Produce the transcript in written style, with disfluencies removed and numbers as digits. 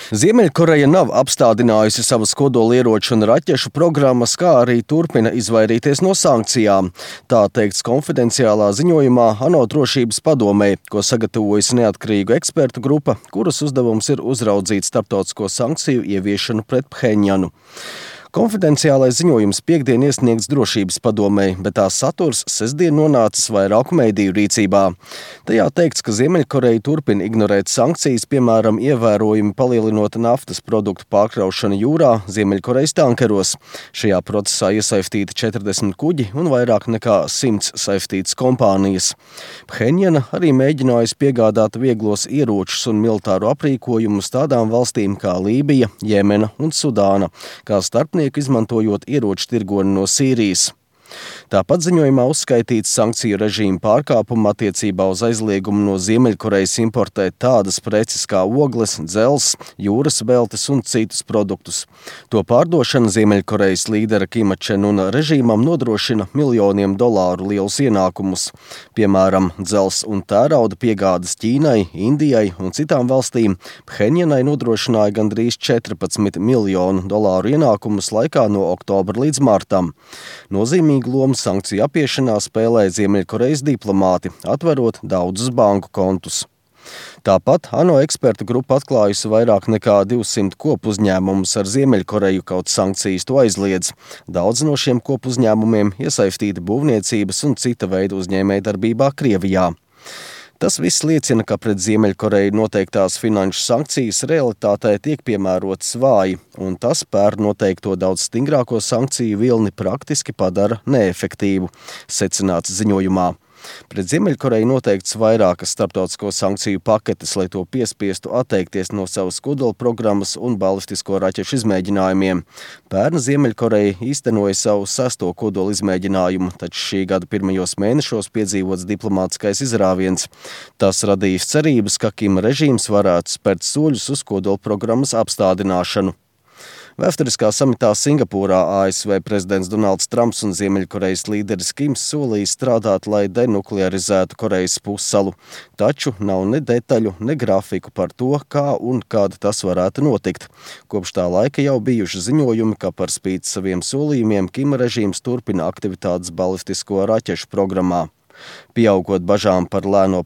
Ziemeļkoreja nav apstādinājusi savas kodolieroču un raķešu programmas, kā arī turpina izvairīties no sankcijām. Tā teikts konfidenciālā ziņojumā ANO drošības padomē, ko sagatavojusi neatkarīgu ekspertu grupa, kuras uzdevums ir uzraudzīt starptautisko sankciju ieviešanu pret Phenjanu. Konfidenciālais ziņojums piektdien iesniegts drošības padomei, bet tās saturs sestdien nonācis vairāku mediju rīcībā. Tajā teikts, ka Ziemeļkoreja turpina ignorēt sankcijas, piemēram, ievērojami palielinot naftas produktu pārkraušanu jūrā Ziemeļkorejas tankeros. Šajā procesā iesaistīti 40 kuģi un vairāk nekā 100 saistītas kompānijas. Phenjana arī mēģinājusi piegādāt vieglos ieročus un militāru aprīkojumu tādām valstīm kā Lībija, Jemena un Sudāna, kā starpnieku izmantojot ieroču tirgoni no Sīrijas. Tāpat ziņojumā uzskaitīts sankciju režīmu pārkāpumu attiecībā uz aizliegumu no Ziemeļkorejas importēt tādas preces kā ogles, dzelzs, jūras veltes un citus produktus. To pārdošana Ziemeļkorejas līdera Kima Čen Una režīmam nodrošina miljoniem dolāru lielus ienākumus. Piemēram, dzelzs un tērauda piegādes Ķīnai, Indijai un citām valstīm Phenjanai nodrošināja gandrīz 14 miljonu dolāru ienākumus laikā no oktobra līdz martam. Nozīmīgu lomu sankciju apiešanā spēlē Ziemeļkorejas diplomāti, atverot daudzus banku kontus. Tāpat ANO ekspertu grupa atklājusi vairāk nekā 200 kopu uzņēmumus ar Ziemeļkoreju, kaut sankcijas to aizliedz. Daudz no šiem kopu uzņēmumiem iesaistīti būvniecības un cita veida uzņēmējdarbībā Krievijā. Tas viss liecina, ka pret Ziemeļkoreju noteiktās finanšu sankcijas realitātē tiek piemērotas vāji, un tas pēr noteikto daudz stingrāko sankciju vilni praktiski padara neefektīvu, secināts ziņojumā. Pret Ziemeļkoreju noteikts vairākas starptautisko sankciju paketes, lai to piespiestu atteikties no savas kodola programmas un balistisko raķešu izmēģinājumiem. Pērn Ziemeļkoreja īstenoja savu 6. kodola izmēģinājumu, taču šī gada pirmajos mēnešos piedzīvots diplomātiskais izrāviens. Tas radījis cerības, ka Kima režīms varētu spērt soļus uz kodola programmas apstādināšanu. Vēsturiskā samitā Singapūrā ASV prezidents Donalds Trumps un Ziemeļkorejas līderis Kims solīja strādāt, lai denuklearizētu Korejas pussalu. Taču nav ne detaļu, ne grafiku par to, kā un kad tas varētu notikt. Kopš tā laika jau bijuši ziņojumi, ka par spīti saviem solījumiem Kima režīms turpina aktivitātes balistisko raķešu programmā. Pieaugot bažām par lēno